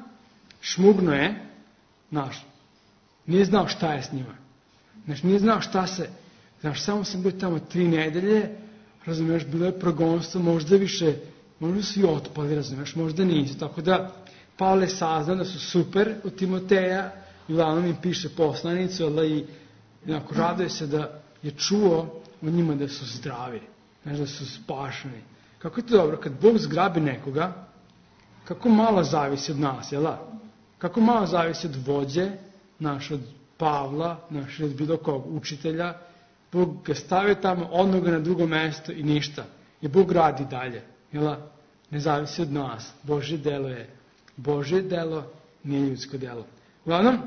šmugno je, nije znao šta je s njima. Nije znao šta se, samo sam bio tamo 3 nedelje, razumiješ, bilo je progonstvo, možda više, možda su i otpali, razumiješ, možda nisu, tako da Pavle je saznao da su super od Timoteja i uglavnom im piše poslanicu, i raduje se da je čuo o njima da su zdravi, da su spašeni. Kako je to dobro, kad Bog zgrabi nekoga, kako malo zavisi od nas, kako malo zavisi od vođe, od Pavla, od bilo kog učitelja, Bog ga stavio tamo, odno ga na drugo mesto i ništa. I Bog radi dalje, ne zavisi od nas. Božje delo je Božje delo, nije ljudsko delo. Uglavnom,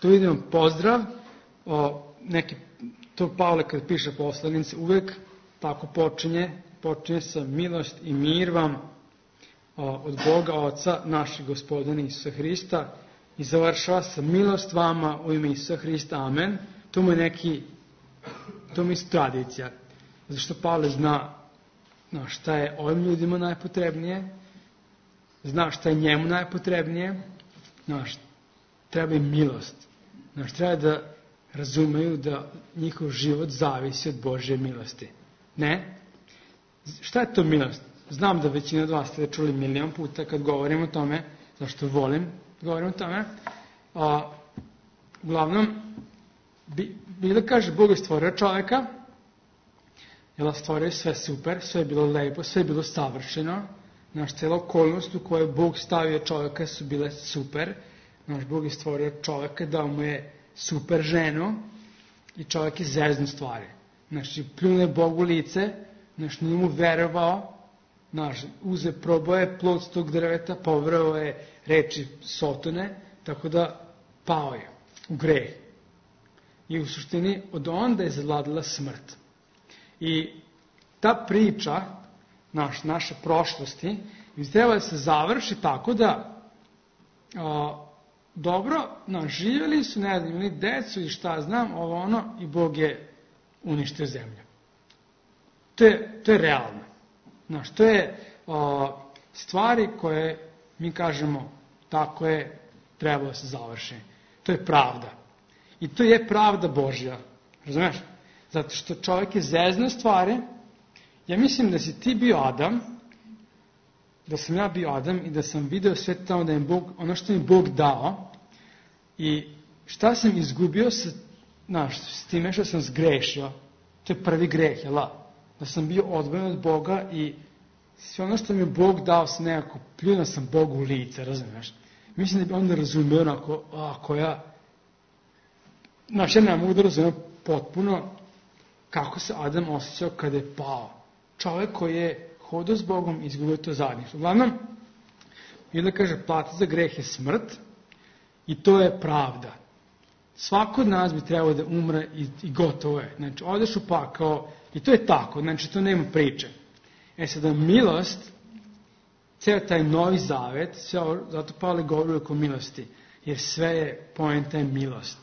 tu vidimo pozdrav, to Pavle kad piše poslanici uvek tako počinje sa milost i mir vam od Boga Oca, našeg Gospodina Isusa Hrista, i završava sa milost vama u ime Isusa Hrista, amen. To mu je tradicija. Zato što Pavle zna šta je ovim ljudima najpotrebnije, zna šta je njemu najpotrebnije, treba im milost. Treba da razumeju da njihov život zavisi od Božje milosti. Ne? Šta je to milost? Znam da većina od vas ste čuli milion puta kad govorim o tome, zašto volim da govorim o tome. Uglavnom, Biblia kaže, Bog je stvorio čoveka, stvorio je sve super, sve je bilo lepo, sve je bilo savršeno, cela okolnost u kojoj Bog stavio čoveka su bile super, Bog je stvorio čoveka, dao mu je super ženu i čovek je zeznu stvari. Pljune Bogu lice, nije mu verovao, probao plod s tog drveta, poverovao je reči Sotone, tako da pao je u greh. I u suštini od onda je zavladala smrt. I ta priča naše prošlosti treba da se završi tako da dobro, živjeli su, imali decu i šta znam, i Bog je uništio zemlju. To je realno. To je stvari koje mi kažemo tako je trebalo da se završi. To je pravda. I to je pravda Božja. Razumeš? Zato što čovjek je zeznuo stvari, Ja mislim da si ti bio Adam, da sam ja bio Adam i da sam video sve tamo da je Bog, ono što mi Bog dao i šta sam izgubio s time što sam zgrešio, to je prvi greh, jel' da sam bio odvojen od Boga i sve ono što mi je Bog dao sam nekako pljunuo sam Bogu u lice, razumiješ? Mislim da bi onda razumio onako, ako ja ne mogu da razumem potpuno kako se Adam osjećao kada je pao. Čovjek koji je hodao s Bogom i izgubio to zajedništvo. Uglavnom, Biblia kaže, plata za greh je smrt i to je pravda. Svako od nas bi trebao da umre i gotovo je. Znači, odeš u pakao i to je tako, znači to nema priče. Sada milost, ceo taj novi zavet, zato Pavle govori oko milosti, jer sve je poenta je milost.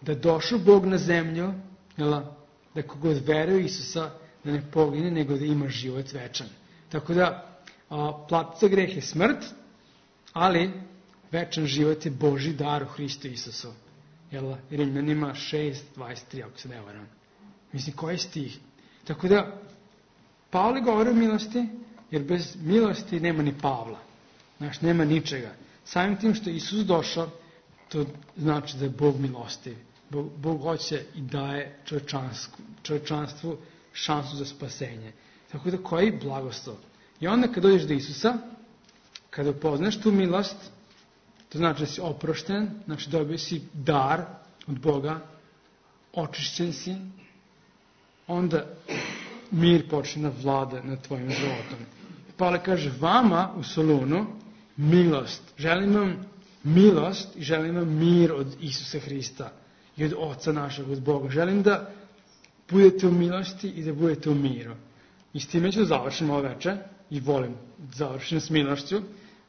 Da došao Bog na zemlju, da kogod veruje u Isusa, da ne pogine, nego da ima život večan. Tako da, plata za greh je smrt, ali večan život je Božji dar u Hristu Isusu. Rimljanima 6:23, ako se ne varam. Mislim, koji stih? Tako da, Pavle govori o milosti, jer bez milosti nema ni Pavla. Znači, nema ničega. Samim tim što je Isus došao, to znači da je Bog milostiv. Bog hoće i daje čovječanstvu šansu za spasenje. Tako da, koji blagoslov? I onda kad dođeš do Isusa, kada upoznaš tu milost, to znači da si oprošten, znači dobio si dar od Boga, očišćen si, onda mir počne da vlada nad tvojim životom. Pavle kaže, vama u Solunu milost. Želim vam milost i želim vam mir od Isusa Hrista i od Oca našeg, od Boga. Želim da budete u milosti i da budete u miru. I s time ću da završim ovo večer i volim da završim s milošću.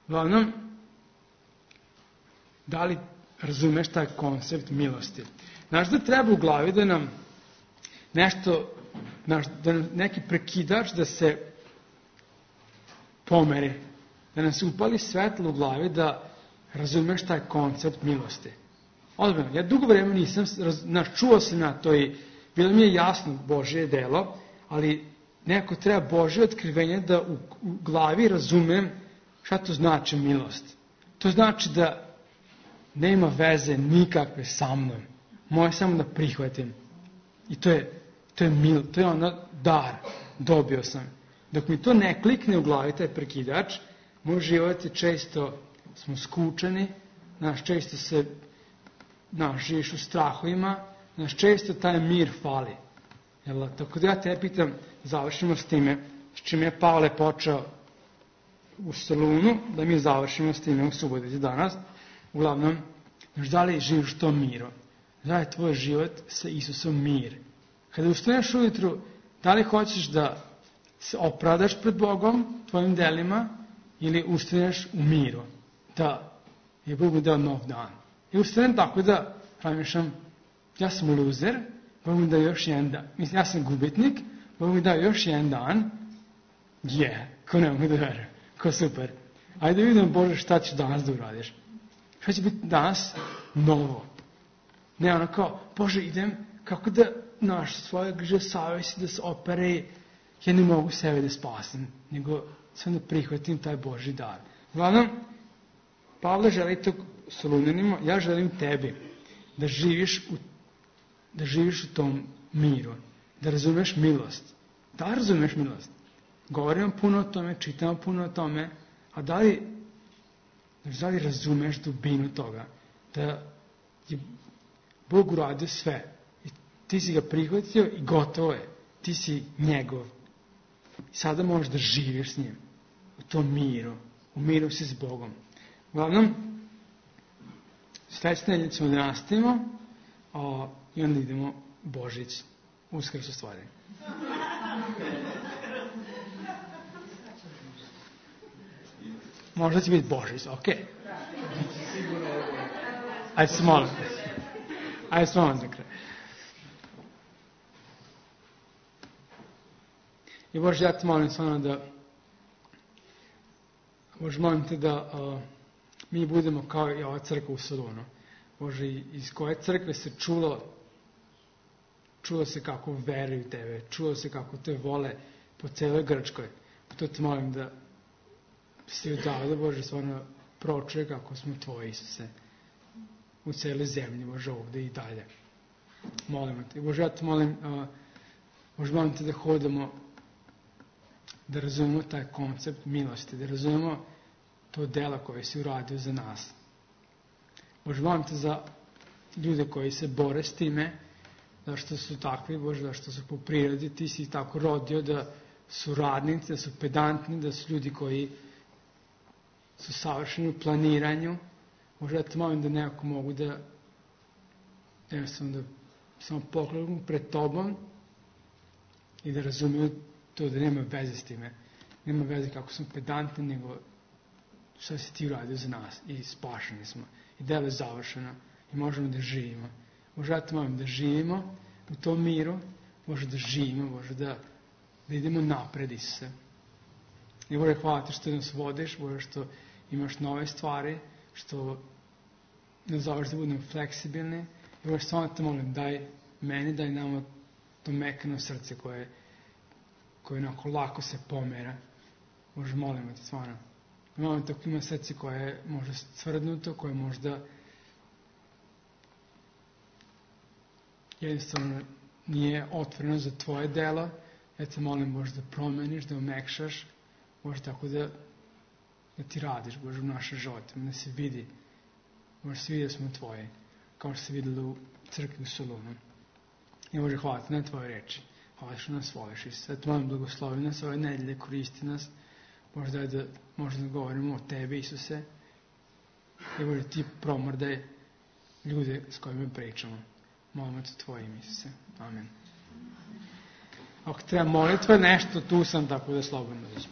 Uglavnom, da li razumeš taj koncept milosti? Znaš da treba u glavi da nam nešto, da neki prekidač da se pomeri, da nam se upali svetlo u glavi da razumeš taj koncept milosti. Odmah, ja dugo vremena nisam, čuo sam na to i bilo mi je jasno Božje delo, ali nekako treba Božje otkrivenje da u glavi razumem šta to znači milost. To znači da nema veze nikakve sa mnom. Moje samo da prihvatim. I to je ono dar. Dobio sam. Dok mi to ne klikne u glavi, taj prekidač, moj život je često, smo skučeni, često se, živiš u strahovima, često taj mir fali. Tako da ja te pitam, završimo s time, s čim je Pavle počeo u Solunu, da mi završimo s time u Subotici danas. Uglavnom, da li živiš u tom miru? Da li je tvoj život sa Isusom mir? Kada ustaneš ujutru, da li hoćeš da se opravdaš pred Bogom, tvojim delima, ili ustaneš u miru? Da je Bog mi dao nov dan. I ustanem tako da razmišljam, ja sam luzer, Bog mi dao još jedan dan. Mislim, ja sam gubitnik, Bog mi dao još jedan dan. Ko ne mogu da verujem, ko super. Ajde da vidimo, Bože, šta ćeš danas da uradiš. Šta će biti danas novo? Ne ono kao, Bože, idem, kako da svoje griže savjesti da se opere, ja ne mogu sebe da spasim, nego sam da prihvatim taj Božji dar. Uglavnom, Pavle želi to Solunjanima, ja želim tebi da živiš u tom miru, da razumeš milost. Da li razumeš milost? Govorimo puno o tome, čitamo puno o tome, a da li razumeš dubinu toga, da je Bog uradio sve i ti si ga prihvatio i gotovo je, ti si njegov. I sada možeš da živiš s njim, u tom miru, u miru si s Bogom. Uglavnom, sledeće nedelje ćemo da nastavimo i onda idemo Božić, Uskrs u stvari. Možda će biti Božić, okej. Ajde se molim. Ajde se molim za kraj. I Bože, ja te molim stvarno da Bože, molim te da mi budemo kao i ova crkva u Solunu. Bože, iz koje crkve se čulo se kako veruju tebe, čulo se kako te vole po celoj Grčkoj. To te molim da si odavde, Bože, stvarno pročuje kako smo Tvoji, Isuse, u celoj zemlji, Bože, ovde i dalje. Molimo Te. Bože, ja te molim, Bože, molim Te da hodamo, da razumemo taj koncept milosti, da razumemo to delo koje si uradio za nas. Bože, molim Te za ljude koji se bore s time, zašto su takvi, Bože, zašto su po prirodi, Ti si ih tako rodio da su radnici, da su pedantni, da su ljudi koji su savršeni u planiranju. Bože, ja te molim da nekako mogu da jednostavno da samo poklonim pred Tobom i da razumiju to da nema veze s time. Nema veze kako smo pedantni, nego šta si Ti uradio za nas i spašeni smo. I delo je završeno i možemo da živimo. Bože, ja te molim da živimo u tom miru, Bože, da živimo, Bože, da idemo napred, Isuse. I Bože, hvala Ti što nas vodiš, Bože, što imaš nove stvari, što nas zoveš da budemo fleksibilni. I Bože, stvarno te molim, daj meni, daj nama to mekano srce koje onako lako se pomera. Bože, molimo Te, stvarno. Molim Te, ako ima srce koje je možda stvrdnuto, koje možda jednostavno nije otvoreno za Tvoje delo, ja te molim, Bože, da promeniš, da omekšaš, Bože, tako da Ti radiš, Bože, u našem životu, da se vidi, Bože, se vidi da smo Tvoji, kao što se videli u crkvi u Solunu. I Bože, hvala Ti na Tvoje reči, hvala što nas voliš, i sve te molim, blagoslovi nas ove nedelje, koristi nas, Bože, daj da možemo da govorimo o Tebi, Isuse, i Bože, Ti promrdaj ljude s kojima pričamo. Molimo Te Tvojim, Isuse. Amen. Ako treba molitva, nešto, tu sam, tako da slobodno dođem.